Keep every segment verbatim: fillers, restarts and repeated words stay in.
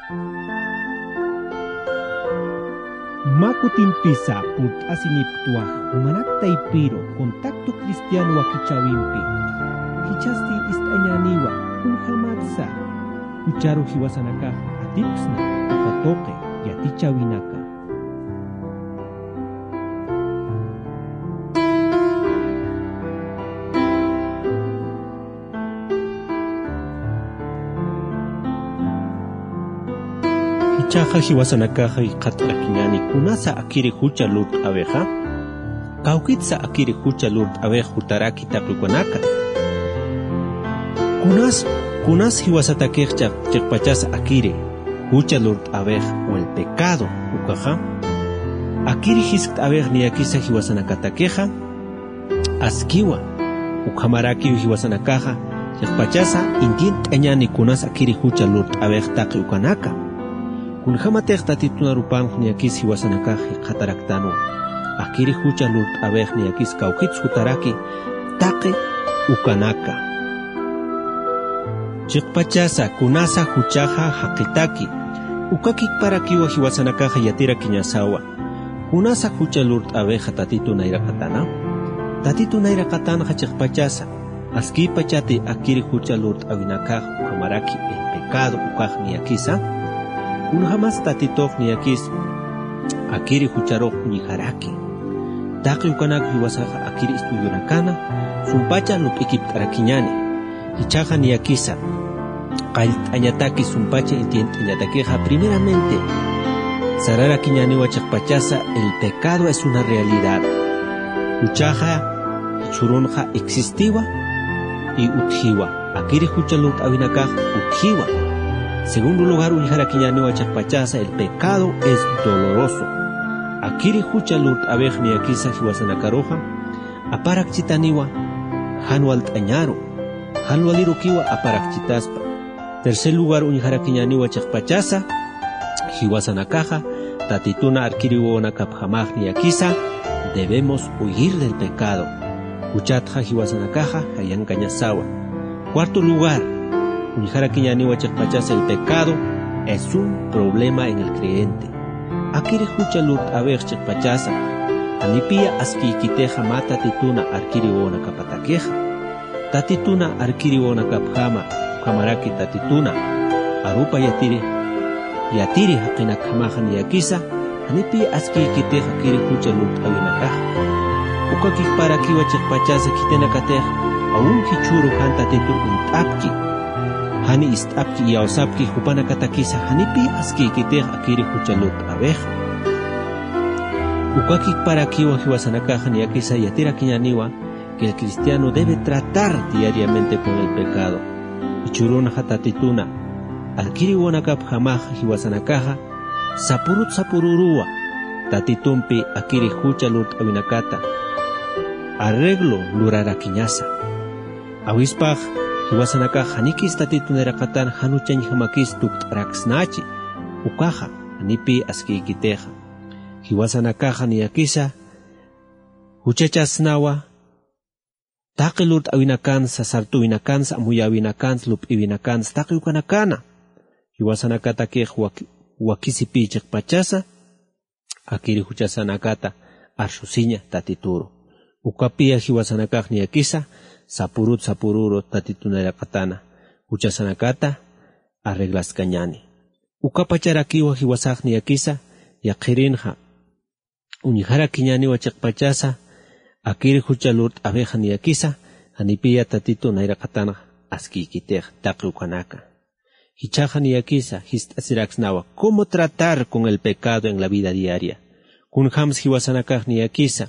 Mä kutimpisa purt'asinipktwa jumanak taypiru contacto cristiano wakichäwimpi. Jichhasti ist'añäniwa kunjamatsa jucharu jiwasanakax atipksna uka tuqi yatichäwinaka. Jichhaxa jiwasanakaxa jikxatarakiñäni kunasa akiri jucha lurt'äwixa, kawkitsa akiri jucha lurt'äwix jutaraki taqi ukanaka. Kunas, kunas jiwasatakix chiq-, chiqpachasa akiri jucha lurt'äwix o el pecado ukaxa, akiri jiskt'äwix niyakisa jiwasanakatakixa, askiwa, ukhamarakiw jiwasanakaxa, chiqpachasa intint'añäni kunas akiri jucha lurt'äwix taqi ukanaka. Kunjamatix Tatitun arupanx niyakis jiwasanakax jikxataraktanwa, akiri jucha lurt'äwix niyakis kawkits jutaraki taqi ukanaka. Chiqpachasa kunasa juchaxa jaqitaki, ukakikparakiwa jiwasanakaxa yatirakiñasawa. Kunasa jucha lurt'äwixa Tatitun nayraqatana? Tatitun nayraqatanxa chiqpachasa, askïpachati akiri jucha lurt'äwinakax ukhamaraki el pecado ukax niyakisa. Kunjamas Tatitux niyakis akiri jucharux uñjaraki. Taqi ukanak jiwasaxa akiri estudionakana, sumpacha lup'ikipt'arakiñäni. Jichhaxa niyakisa qallt'añataki sumpacha intint'añatakixa, primeramente, sararakiñäniwa chiqpachasa, el pecado es una realidad. Juchaxa jichhürunxa existiwa y utjiwa. Akiri jucha lurt'äwinakax utjiwa. Segundo lugar, uñjarakiñäniwa chiqpachasa, el pecado es doloroso. Akiri jucha lurt'äwix niyakisa jiwasanakaruxa, aparakchitaniwa jan walt'añaru, jan walirukiwa aparakchitaspa. Tercer lugar, uñjarakiñäniwa chiqpachasa, jiwasanakaxa Tatituna arkiri wawanakapjamax niyakisa, debemos huir del pecado. Juchatxa jiwasanakaxa jayankañasawa. Cuarto lugar, uñjarakiñäniwa chiqpachasa, el pecado es un problema en el creyente. Akiri jucha lurt'äwix chiqpachasa, janipiya askiykitixa mä Tatituna arkiri wawanakapatakixa. Tatituna arkiri wawanakapjama, ukhamaraki Tatituna arupa yatiri, yatiri jaqinakjamaxa niyakisa, janipiya askiykitix akiri jucha lurt'äwinakaxa. Ukakiparakiwa chiqpachasa khitinakatix, aun jichhüru jan Tatitu uñt'apki, jani ist'apki, iyawsapki jupanakatakisa, janipiya askiykitix akiri jucha lurt'äwixa. Ukakiparakiwa jiwasanakaxa niyakisa yatirakiñäniwa que el cristiano debe tratar diariamente con el pecado. Jichhürunxa Tatituna arkiri wawanakapjamaxa jiwasanakaxa sapurut sapururuwa Tatitumpi akiri jucha lurt'äwinakata arreglo lurarakiñasa. Awispax jiwasanakax janikis Tatitun nayraqatan jan juchañjamakis tukt'araksnachi, ukaxa janipi askiykitixa. Jiwasanakaxa niyakisa juchachasnawa taqi lurt'äwinakansa, sart'äwinakansa, amuyäwinakansa, lup'iwinakansa, taqi ukanakana. Jiwasanakatakix wak-, wakisipi chiqpachasa akiri juchasanakata arsusiña Tatituru. Ukapiya jiwasanakax niyakisa sapurut sapururu Tatitun nayraqatana juchasanakata arreglaskañäni. Ukapacharakiwa jiwasax niyakisa yaqhirinxa uñjarakiñäniwa chiqpachasa akiri jucha lurt'äwixa niyakisa, janipiya Tatitu nayraqatanxa askiykitix taqi ukanaka. Jichhaxa niyakisa jist'asiraksnawa cómo tratar con el pecado en la vida diaria. Kunjams jiwasanakax niyakisa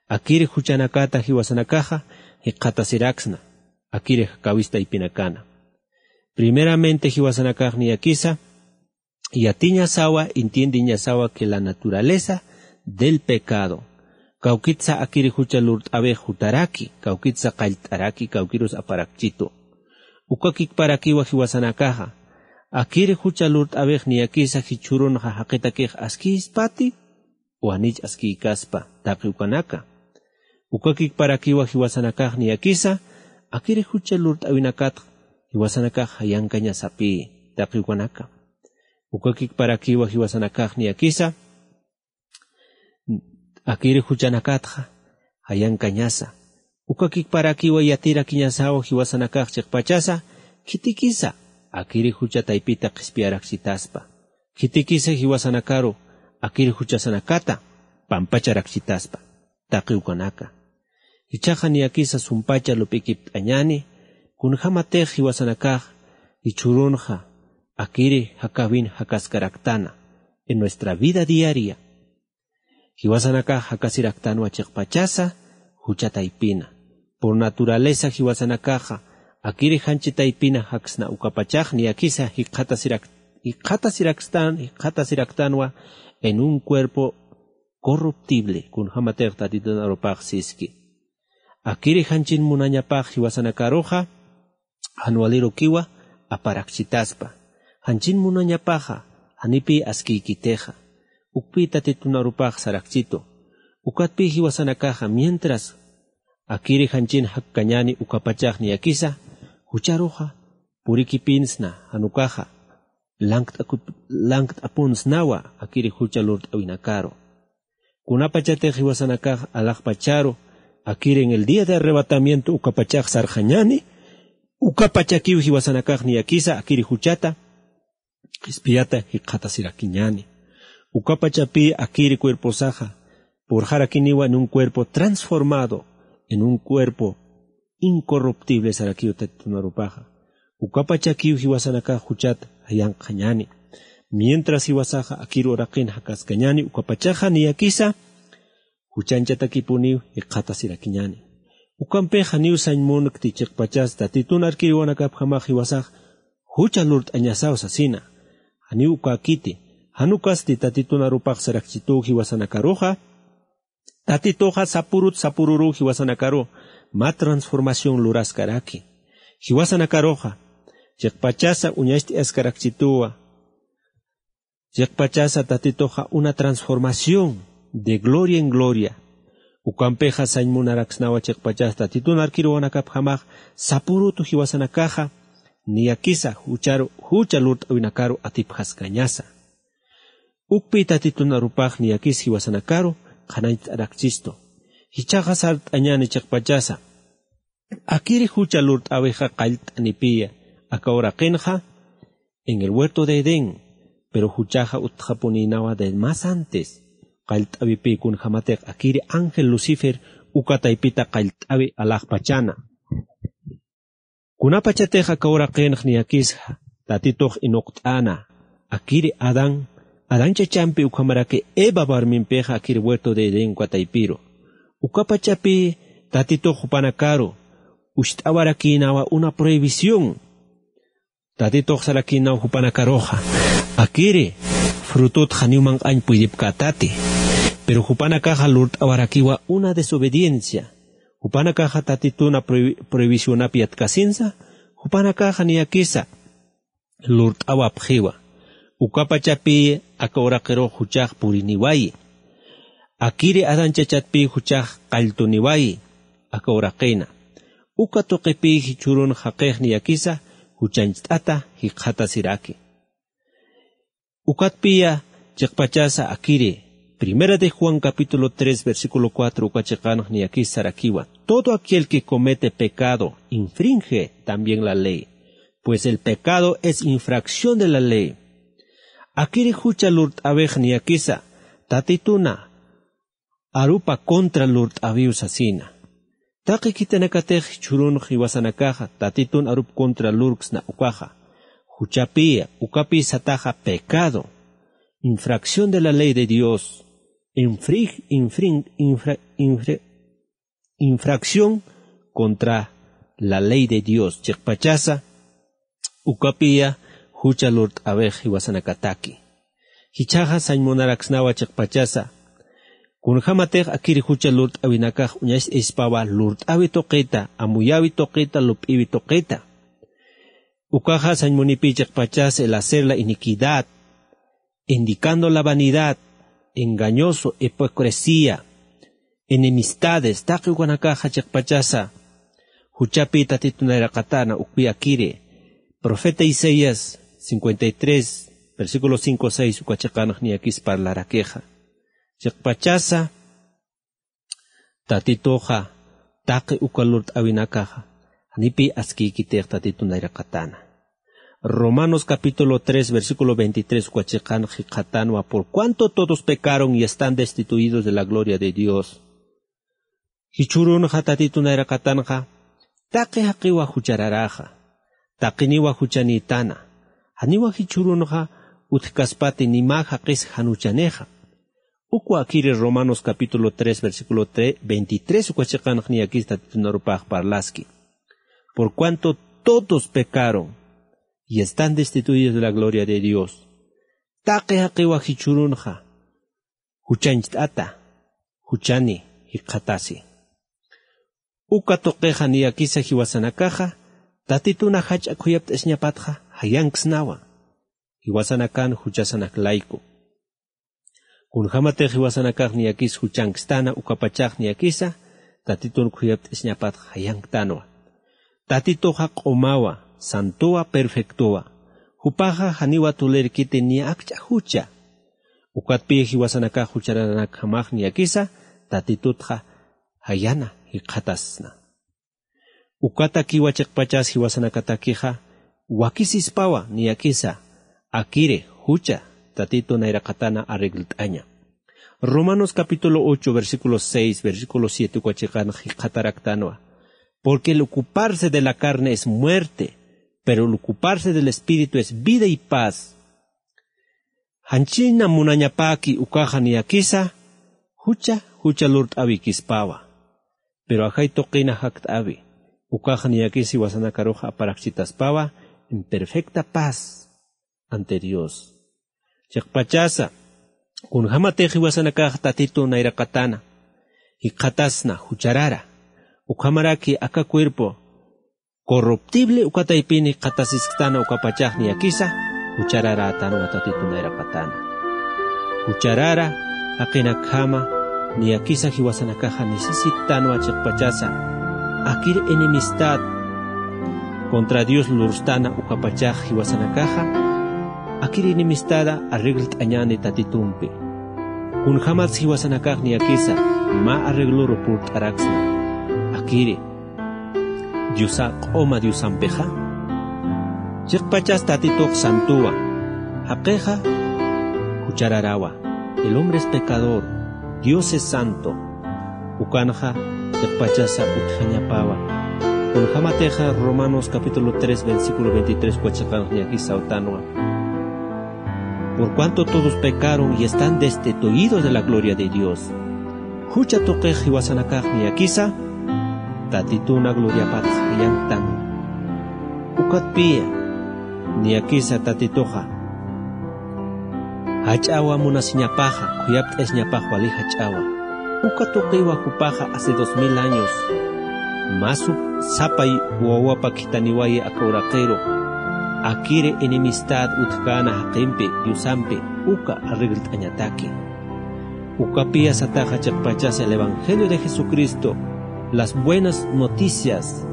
akiri juchanakata jiwasanakaxa jikxatasiraksna akiri jakawis taypinakana. Primeramente jiwasanakax niyakisa yatiñasawa, entiendeñasawa que la naturaleza del pecado, kawkitsa akiri jucha lurt'äwix jutaraki, kawkitsa qallt'araki, kawkirus aparakchitu. Ukakikparakiwa jiwasanakaxa akiri jucha lurt'äwix niyakisa jichhürunxa jaqitakix askïspati o janich askiykaspa taqi ukanaka. Ukakikparakiwa jiwasanakax niyakisa akiri jucha lurt'äwinakatx jiwasanakax jayankañasapï taqi ukanaka. Ukakikparakiwa jiwasanakax niyakisa akiri juchanakatxa jayankañasa. Ukakikparakiwa yatirakiñasaw jiwasanakax chiqpachasa khitikisa akiri jucha taypita qhispiyarakchitaspa. Khitikisa jiwasanakaru akiri juchasanakata pampacharakchitaspa. Taqi ukanaka. Jichhaxa niyakisa sumpacha lup'ikipt'añani, kunjämatix jiwasanakax jichhürunxa akiri jakawin jakaskaraktana en nuestra vida diaria. Jiwasanakax jakasiraktanwa chiqpachasa jucha taypina. Por naturaleza jiwasanakaxa akiri janchi taypina jaksna ukapachax niyakisa jikxatasirak-, jikxatasiraktan-, jikxatasiraktanwa en un cuerpo corruptible, kunjämatix Tatitun arupax siski. Akiri janchin munañapax jiwasanakaruxa, jan walirukiwa aparakchitaspa. Janchin munañapaxa, janipï askiykitixa. Ukpï Tatitun arupax sarakchitu. Ukatpï jiwasanakaxa, mientras akiri janchin jakkañani ukapachax niyakisa, jucharuxa purikipinsna, jan ukaxa lankt'akup-, lankt'apunsnawa akiri jucha lurt'awinakaru. Kunapachatix jiwasanakax alaxpacharu akiri en el día de arrebatamiento ukapachax sarxañani, ukapachakiw jiwasanakax niyakisa akiri juchata qhispiyata jikxatasirakiñani. Ukapachapï akiri cuerposaxa purxarakiniwa en un cuerpo transformado, en un cuerpo incorruptible sarakiw Tatitun arupaxa. Ukapachakiw jiwasanakax juchat jayanqañani. Mientras jiwasaxa akir uraqin jakaskañani, ukapachaxa niyakisa juchanchatakipuniw jikxatasirakiñani. Ukampix janiw sañ munkti chiqpachas Tatitun arkiriwanakapjamax jiwasax jucha lurt'añasaw sasina. Janiw ukäkiti, jan ukasti Tatitun arupax sarakchituw jiwasanakaruxa, Tatituxa sapurut sapururuw jiwasanakaru mä transformación luraskaraki. Jiwasanakaruxa, chiqpachasa uñacht'askarakchituwa, chiqpachasa Tatituxa una transformación de gloria en gloria. Ukampixa sañ munaraksnawa chiqpachasa Tatitun arkiriwanakapjamax sapurutu jiwasanakaxa, niyakisa jucharu, jucha lurt'awinakaru atipjaskañasa. Ukpï Tatitun arupax niyakis jiwasanakaru qhanañcht'arakchistu. Jichhaxa sart'añani chiqpachasa akiri jucha lurt'äwixa qallt'anipïya, aka uraqinxa en el huerto de Edén, pero juchaxa utjapunïnawa de más antes. Qallt'äwipï kunjämatix akiri ángel Lucifer uka taypita qallt'äwi alaxpachana. Kunapachatix aka uraqinx niyakis Tatitux inuqt'äna, akiri Adán, Adán chachampi ukhamaraki Eva warmimpixa akiri huerto de Edén uka taypiru. Ukapachapï Tatitux jupanakaru ucht'awarakïnawa una prohibición. Tatitux sarakïnaw jupanakaruxa, akiri frutut janiw manq'añ puydipkätati. Pero jupanakaxa lurt'awarakiwa una desobediencia. Jupanakaxa Tatituna prohi-, prohibicionap yatkasinsa, jupanakaxa niyakisa lurt'awapxiwa. Ukapachapï aka uraqirux juchax puriniwayi. Akiri Adán chachatpï juchax qalltuniwayi aka uraqina. Uka tuqipï jichhürun jaqix niyakisa juchancht'ata jikxatasiraki. Ukatpïya chiqpachasa akiri, Primera de Juan capítulo tres versículo cuatro uka chiqanx niyakis sarakiwa: "Todo aquel que comete pecado infringe también la ley, pues el pecado es infracción de la ley". Akiri jucha lurt'äwix niyakisa Tatituna arupa contra lurt'äwiw sasina. Taqi khitinakatix jichhürunx jiwasanakaxa Tatitun arup contra lurksna ukaxa, juchapïya, ukapï sataxa pecado, infracción de la ley de Dios, infri-, infrin-, infra-, infri-, infracción contra la ley de Dios. Chiqpachasa ukapïya jucha lurt'äwix jiwasanakataki. Jichhaxa sañ munaraksnawa chiqpachasa, kunjämatix akiri jucha lurt'äwinakax uñacht'ayaspawa lurt'äwi tuqita, amuyäwi tuqita, lup'iwi tuqita. Ukaxa sañ munipï chiqpachasa el hacer la iniquidad, indicando la vanidad, engañoso, hipocresía, enemistades, taqi ukanakaxa chiqpachasa juchapï Tatitun nayraqatäna, ukpï akiri. Profeta Isaías cincuenta y tres, versículo cinco seis uka chiqanx niyakis parlarakixa. Chiqpachasa, Tatituxa, taqi uka lurt'awinakaxa, janipi askïkitix Tatitu nayraqatana. Romanos capítulo tres, versículo veintitrés uka chiqanx jikxatanwa, por cuanto todos pecaron y están destituidos de la gloria de Dios. Jichhürunxa Tatitu nayraqatanxa, taqi jaqiwa juchararaxa, taqiniwa juchanïtana, janiwa jichhürunxa utjkaspati ni mä jaqis jan juchanixa. Ukwa akiri Romanos capítulo tres, versículo tre-, veintitrés uka chiqanx niyakis Tatitunarupax parlaski. Por cuanto todos pecaron y están destituidos de la gloria de Dios. Taqi jaqiwa jichhürunxa, juchancht'ata, juchani jikxatasi. Uka tuqixa niyakisa jiwasanakaxa, Tatituna jach'a khuyapt'asiñapatxa, jayanksnawa. Jiwasanakan juchasanak layku. Kunjämatix jiwasanakax niyakis juchankstana ukapachax niyakisa, Tatitun khuyapt'asiñapatxa jayanktanwa. Tatituxa q'umawa, santowa, perfectowa. Jupaxa janiwa tulirkiti ni akch'a jucha. Ukatpï jiwasanakax juchararanakjamax niyakisa, Tatitutxa jayana jikxatasna. Ukatakiwa chiqpachas jiwasanakatakixa, wakisispawa niyakisa, akiri jucha Tatitu nayraqatana arreglt'aña. Romanos capítulo ocho, versículo seis, versículo siete uka chiqanx jikxataraktanwa. Porque el ocuparse de la carne es muerte, pero el ocuparse del espíritu es vida y paz. Janchina munañapäki ukaxa niyakisa, jucha, jucha lurt'awikispawa. Pero ajay tuqina jakt'awi, ukaxa niyakis jiwasanakarux aparakchitaspawa en perfecta paz ante Dios. Chiqpachasa, kunjämatix jiwasanakax Tatitu nayraqatana jikxatasna jucharara, ukhamaraki aka cuerpo corruptible uka taypini jikxatasisktana ukapachax niyakisa, juchararätanwa Tatitu nayraqatana. Jucharara jaqinakjama niyakisa jiwasanakaxa necesitanwa chiqpachasa, akir enemistad contra Dios lurstana ukapachax jiwasanakaxa, akir enemistada arreglt'añäni Tatitumpi. Kunjämats jiwasanakax niyakisa mä arregloru purt'araksna. Akiri Diosa q'uma Diosampixa. Chiqpachas Tatitux santowa, jaqixa juchararawa. El hombre es pecador, Dios es santo. Ukanxa chiqpachasa utjañapawa. Kunjämatixa Romanos capítulo tres, versículo veintitrés uka chiqanx niyakisa sawtanwa. Por cuanto todos pecaron y están destituidos de la gloria de Dios. Jucha tuqix jiwasanakax niyakisa, Tatituna gloriapatx jayanktan. Ukatpï, niyakisa Tatituxa jach'awa munasiñapaxa, khuyapt'asiñapax wali jach'awa. Uka tuqiwa jupaxa hace dos mil años, mä sapa wawapa khithaniwayi aka uraqiru, akiri enemistad utjkäna jaqimpi, Diosampi, uka arreglt'añataki. Ukapï sataxa chiqpachas el evangelio de Jesucristo, las buenas noticias.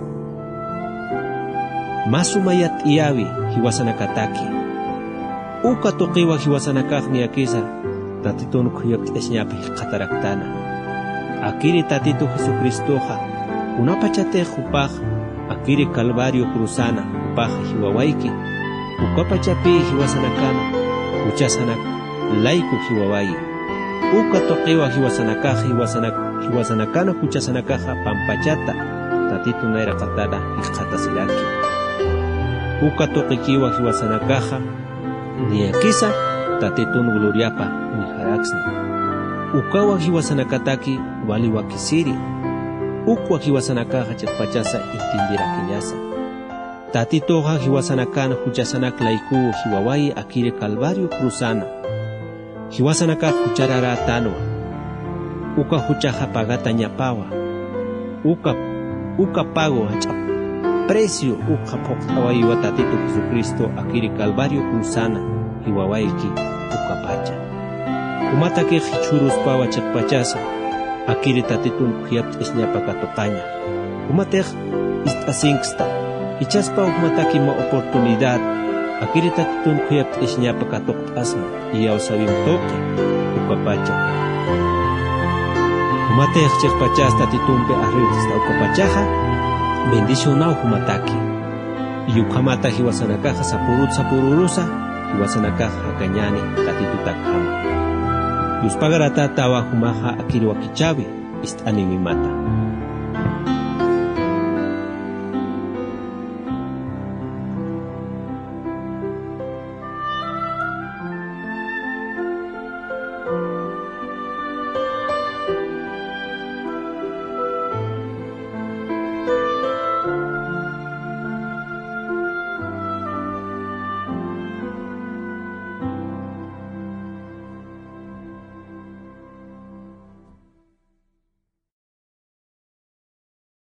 Mä suma yatiyäwi jiwasanakataki. Uka tuqiwa jiwasanakax niyakisa, Tatitun khuyapt'asiñap jikxataraktana. Akiri Tatitu Jesucristoxa, kunapachatix jupax, akiri Calvario cruzana, jupax jiwawayki. Ukapachapï jiwasanakana, juchasanak layku jiwawayi. Uka tuqiwa jiwasanakax, jiwasanak-, jiwasanakana juchasanakaxa pampachata, Tatitu nayraqatana jikxatasiraki. Uka tuqikiwa jiwasanakaxa, niyakisa, Tatitun gloriapa uñjaraksna. Ukawa jiwasanakataki wali wakisiri. Ukwa jiwasanakaxa chiqpachasa entienderakiñasa. Tatituxa jiwasanakan juchasanak laykuw jiwawayi akiri Calvario cruzana. Jiwasanakax juchararätanwa. Uka juchaxa pagatañapawa. Uka, uka pago jach'a precio ukxa phuqt'awayiwa Tatitu Jesucristo akiri Calvario cruzana jiwawayki ukapacha. Jumatakix jichhüruspawa chiqpachasa, akiri Tatitun khuyapt'asiñapa katuqaña. Jumatix ist'asinksta, jichhaspaw jumataki mä oportunidad, Akiri Tatitun khuyapt'asiñapa katuqt'asma, iyawsäwim tuqi ukapacha. Jumatix chiqpachas Tatitumpi arriwt'asta ukapachaxa, bendicionaw jumataki. Ukhamata jiwasanakaxa sapurut sapururusa, jiwasanakax jakañäni Tatitutakjama. Yuspagarata tawa jumaxa akir wakichäwi, ist'aniwimata.